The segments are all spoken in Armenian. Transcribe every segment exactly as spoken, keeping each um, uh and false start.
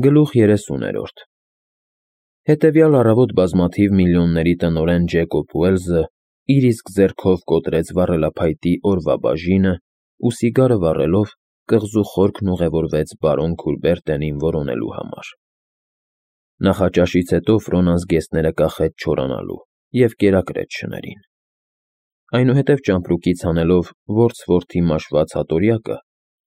Գլուխ երեսուներորդ Հետևյալ առավոտ բազմաթիվ միլիոնների տնօրեն Ջեկոբ Ուելզը իր իսկ ձեռքով կոտրեց վառելափայտի օրվա բաժինը ու սիգարը վառելով կղզու խորքն ուղևորվեց բարոն Քուրբերտենին որոնելու համար։ Նախաճաշից հետո Ֆրոնան զգեստները կախեց չորանալու և կերակրեց շներին։ Այնուհետև ճամպրուկից հանելով որց-որդի մաշված հատորյակը,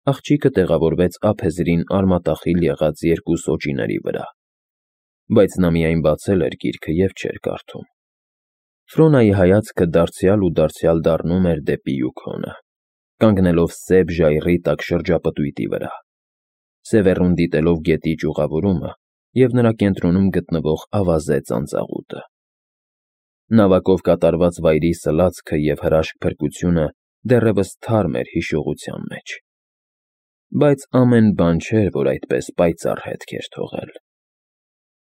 աղջիկը տեղավորվեց ափեզրին արմատախիլ եղած երկու սոճիների վրա, բայց նա միայն բացել էր գիրքը և չէր կարդում։ Ֆրոնայի հայացքը դարձյալ ու դարձյալ դառնում էր դեպի Յուքոնը, կանգնելով սև ժայռի տակ շրջապտույտի վրա, սևեռուն դիտելով գետի ճյուղավորումը և նրա կենտրոնում գտնվող ավազե ծանծաղուտը։ Նավակով կատարված վայրի սլացքը և հրաշք փրկությունը դեռևս թարմ էր հիշողության մեջ, բայց ամեն բան չէր, որ այդպես պայծառ հետք էր թողել։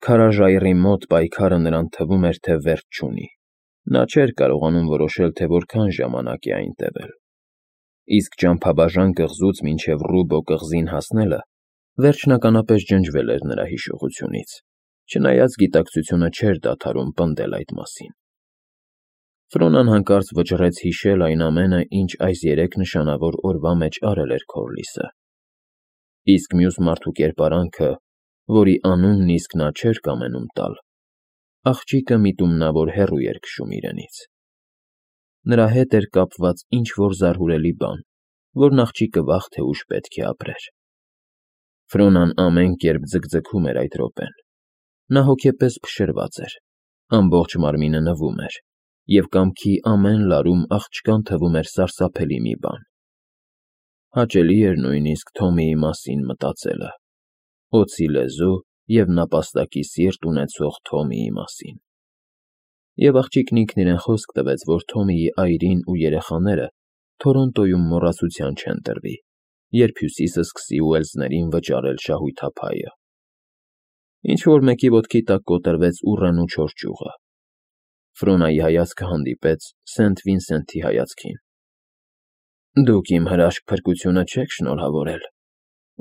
Քարաժայռի մոտ պայքարը նրան թվում էր, թե վերջ չունի, նա չէր կարողանում որոշել, թե որքան ժամանակ է այն տևել։ Իսկ ճամփաբաժան կղզուց մինչև Ռուբո կղզին հասնելը վերջնականապես ջնջվել էր նրա հիշողությունից, չնայած գիտակցությունը չէր դադարում պնդել այդ մասին։ Ֆրոնան հանկարծ վճռեց հիշել այն ամենը, ինչ այս երեք նշանավոր օրվա մեջ արել էր Քորլիսը։ Իսկ մյուս մարդու կերպարանքը, որի անունն իսկ նա չէր կամենում տալ, աղջիկը միտումնավոր հեռու էր քշում իրենից։ Նրա հետ էր կապված ինչ֊որ զարհուրելի բան, որն աղջիկը վաղ թե ուշ պետք է ապրեր։ Ֆրոնան ամեն կերպ ձգձգում էր այդ րոպեն։ Նա հոգեպես փշրված էր, ամբողջ մարմինը նվում էր, և կամքի ամեն լարում աղջկան թվում էր սարսափելի մի բան։ Հաճելի էր նույնիսկ Թոմիի մասին մտածելը, օձի լեզու և նապաստակի սիրտ ունեցող Թոմիի մասին։ Եվ աղջիկն ինքն իրեն խոսք տվեց, որ Թոմիի այրին ու երեխաները Թորոնտոյում մոռացության չեն տրվի, երբ Հյուսիսը սկսի ուելսներին վճարել շահույթափայը։ Ինչ֊որ մեկի ոտքի տակ կոտրվեց ուռենու չոր ճյուղը։ Ֆրոնայի հայացքը հանդիպեց Սենթ Վինսենթի հայացքին։ Դուք իմ հրաշք փրկությունը չեք շնորհավորել,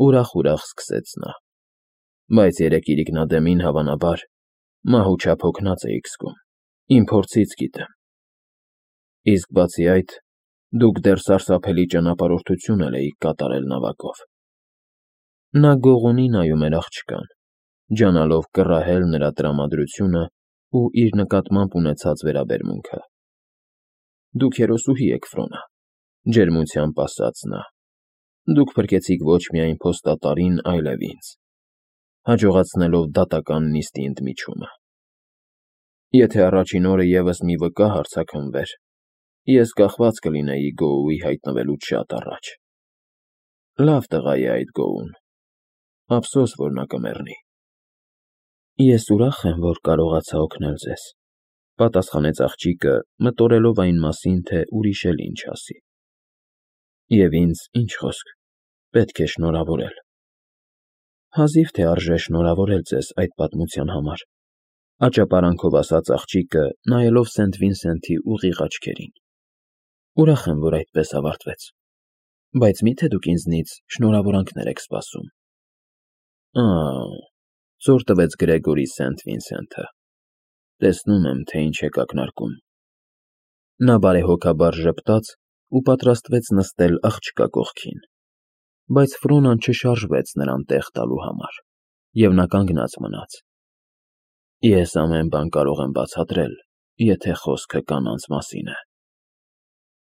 ուրախ֊ուրախ սկսեց նա, բայց երեկ իրիկնադեմին, հավանաբար, մահու չափ հոգնած էիք զգում, իմ փորձից գիտեմ։ Իսկ բացի այդ, դուք դեռ սարսափելի ճանապարհորդություն էլ էիք կատարել նավակով։ Նա գողունի նայում էր աղջկան, ջանալով կռահել նրա տրամադրությունն ու իր նկատմամբ ունեցած վերաբերմունքը։ Դուք հերոսուհի եք, Ֆրոնա, ջերմությամբ ասաց նա։ Դուք փրկեցիք ոչ միայն փոստատարին, այլև ինձ, հաջողացնելով դատական նիստի ընդմիջումը։ Եթե առաջին օրը ևս մի վկա հարձակվեր, ես կախված կլինեի Գոուի հայտնվելուց շատ առաջ։ Լավ տղա է այդ Գոուն, ափսոս, որ նա կմեռնի։ Ես ուրախ եմ, որ կարողացա օգնել ձեզ, պատասխանեց աղջիկը, մտորելով այն մասին, թե ուրիշ էլ ինչ ասի։ Եվ ինձ, ինչ խոսք, պետք է շնորհավորել։ Հազիվ թե արժե շնորհավորել ձեզ այդ պատմության համար, աճապարանքով ասաց աղջիկը, նայելով Սենթ Վինսենթի ուղիղ աչքերին։ Ուրախ եմ, որ այդպես ավարտվեց, բայց մի՞թե դուք ինձնից շնորհավորանքներ եք սպասում։ Ա՜, զոր տվեց Գրեգորի Սենթ Վինսենթը։ Տեսնում եմ, թե ինչ եք ակնարկում։ Նա բարեհոգաբար ժպտաց ու պատրաստվեց նստել աղջկա կողքին, բայց Ֆրոնան չշարժվեց նրան տեղ տալու համար, և նա կանգնած մնաց։ Ես ամեն բան կարող եմ բացատրել, եթե խոսքը կանանց մասին է։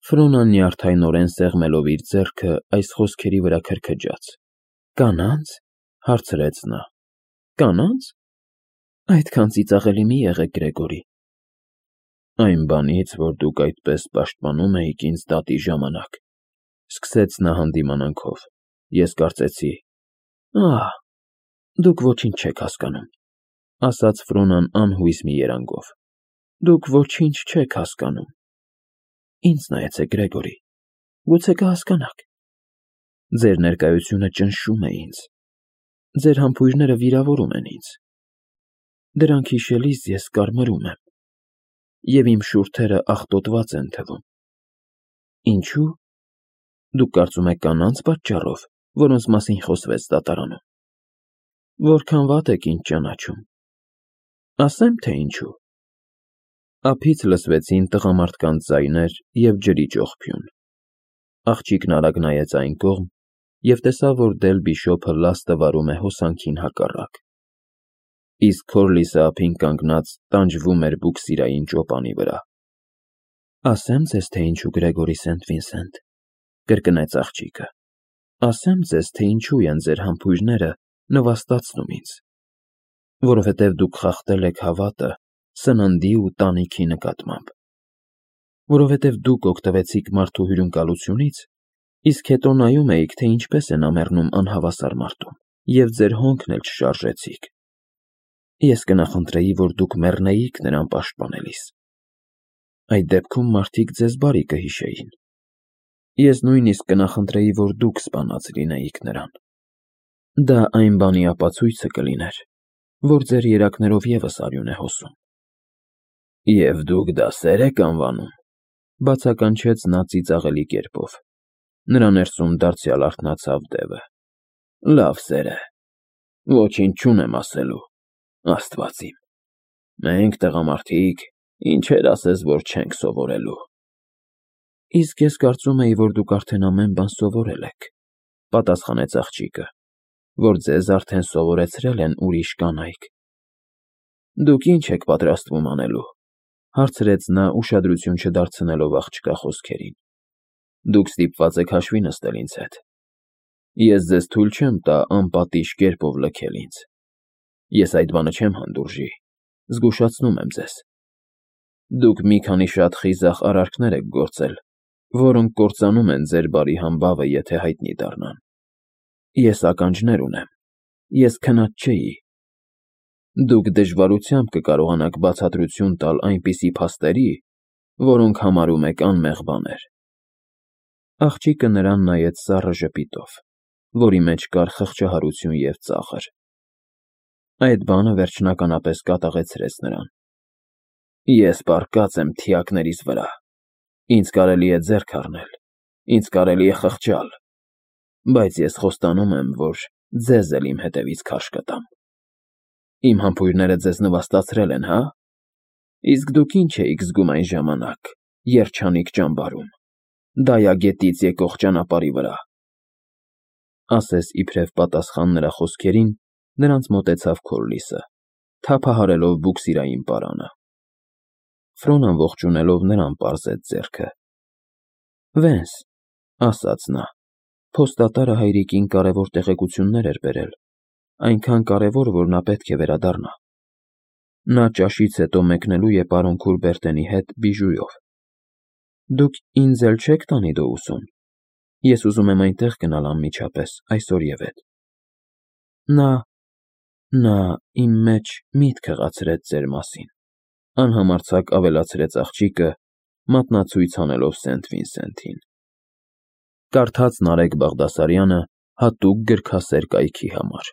Ֆրոնան նյարդայնորեն սեղմելով իր ձեռքը այս խոսքերի վրա քրքջաց։ Կանա՞նց, հարցրեց նա։ Կանա՞նց։ Այդքան ծիծաղելի մի եղեք, Գրեգորի։ Այն բանից, որ դուք այդպես պաշտպանում էիք ինձ դատի ժամանակ, սկսեց նա հանդիմանանքով, ես կարծեցի։ Ահ, դուք ոչինչ չեք հասկանում, ասաց Ֆրոնան անհույս մի երանգով։ Դուք ոչինչ չեք հասկանում։ Ինձ նայեցեք, Գրեգորի, գուցե կհասկանաք։ Ձեր ներկայությունը ճնշում է ինձ։ Ձեր համբույրները վիրավորում են ինձ։ Դրանք հիշելիս ես կարմրում եմ, և իմ շուրթերը աղտոտված են թվում։ Ինչու՞։ Դուք կարծում եք կանանց պատճառով, որոնց մասին խոսվեց դատարանում։ Որքան վատ եք ինձ ճանաչում։ Ասեմ, թե ինչու։ Ափից լսվեցին տղամարդկանց ձայներ և ջրի ճողփյուն։ Աղջիկն արագ նայեց այն կողմ և տեսավ, որ Դել Բիշոփը լաստը վարում է հոսանքին հակառակ, իսկ Քորլիսը ափին կանգնած տանջվում էր բուքսիրային ճոպանի վրա։ Ասեմ ձեզ, թե ինչու, Գրեգորի Սենթ-Վինսենտ, կրկնեց աղջիկը, ասեմ ձեզ, թե ինչու են ձեր համբույրները նվաստացնում ինձ, որովհետև դուք խախտել եք հավատը սննդի ու տանիքի նկատմամբ, որովհետև դուք օգտվեցիք մարդու հյուրընկալությունից, իսկ հետո նայում էիք, թե ինչպես է նա մեռնում անհավասար մարդում, և ձեր հոնքն էլ չշարժեցիք։ Ես կնախընտրեի, որ դուք մեռնեիք նրան պաշտպանելիս։ Այդ դեպքում մարդիկ ձեզ բարի կհիշեին։ Ես նույնիսկ կնախընտրեի, որ դուք սպանած լինեիք նրան։ Դա այն բանի ապացույցը կլիներ, որ ձեր երակներով ևս արյուն է հոսում։ Եվ դուք դա սեր եք անվանում, բացականչեց նա ծիծաղելի կերպով։ Նրա ներսում դարձյալ արթնացավ Դևը։ Լավ սեր է։ Ոչինչ չունեմ ասելու, Աստված իմ։ Մենք տղամարդիկ, ինչեր ասես, որ չենք սովորելու։ Իսկ ես կարծում էի, որ դուք արդեն ամեն բան սովորել եք, պատասխանեց աղջիկը, որ ձեզ արդեն սովորեցրել են ուրիշ կանայք։ Դուք ինչ եք պատրաստվում անելու, հարցրեց նա, ուշադրություն չդարձնելով աղջկա խոսքերին։ Դուք ստիպված եք հաշվի նստել ինձ հետ։ Ես ձեզ թույլ չեմ տա անպատիժ կերպով լքել ինձ։ Ես այդ բանը չեմ հանդուրժի, զգուշացնում եմ ձեզ։ Դուք մի քանի շատ խիզախ արարքներ եք գործել, որոնք կործանում են ձեր բարի համբավը, եթե հայտնի դառնան։ Ես ականջներ ունեմ, ես քնած չէի։ Դուք դժվարությամբ կկարողանաք բացատրություն տալ այնպիսի փաստերի, որոնք համարում եք անմեղ բաներ։ Աղջիկը նրան նայեց սառը ժպիտով, որի մեջ կար խղճահարություն և ծաղր։ Այդ բանը վերջնականապես կատաղեցրեց նրան։ Ես պառկած եմ թիակներիս վրա։ Ինձ կարելի է ձեռք առնել, ինձ կարելի է խղճալ, բայց ես խոստանում եմ, որ ձեզ էլ իմ հետևից քարշ կտամ։ Իմ համբույրները ձեզ նվաստացրել են, հա՞։ Իսկ դուք ինչ էիք զգում այն ժամանակ, երջանիկ ճամբարում, Դայագետից եկող ճանապարհի վրա։ Ասես իբրև պատասխան նրա խոսքերին, նրանց մոտեցավ Քորլիսը, թափահարելով բուքսիրային պարանը։ Ֆրոնան ողջունելով նրան պարզեց ձեռքը։ Վենս, ասաց նա, փոստատարը հայրիկին կարևոր տեղեկություններ էր բերել, այնքան կարևոր, որ նա պետք է վերադառնա։ Նա ճաշից հետո մեկնելու է պարոն Քուրբերտենի հետ Բիժուով։ Դուք ինձ էլ չեք տանի Դոուսոն։ Ես ուզում եմ այնտեղ գնալ անմիջապես, այսօրևետ։ Նա… նա իմ մեջ միտք հղացրեց ձեր մասին, անհամարձակ ավելացրեց աղջիկը, մատնացույց անելով Սենթ֊Վինսենթին։ Կարդաց Նարեկ Բաղդասարյանը հատուկ գրքասեր կայքի համար։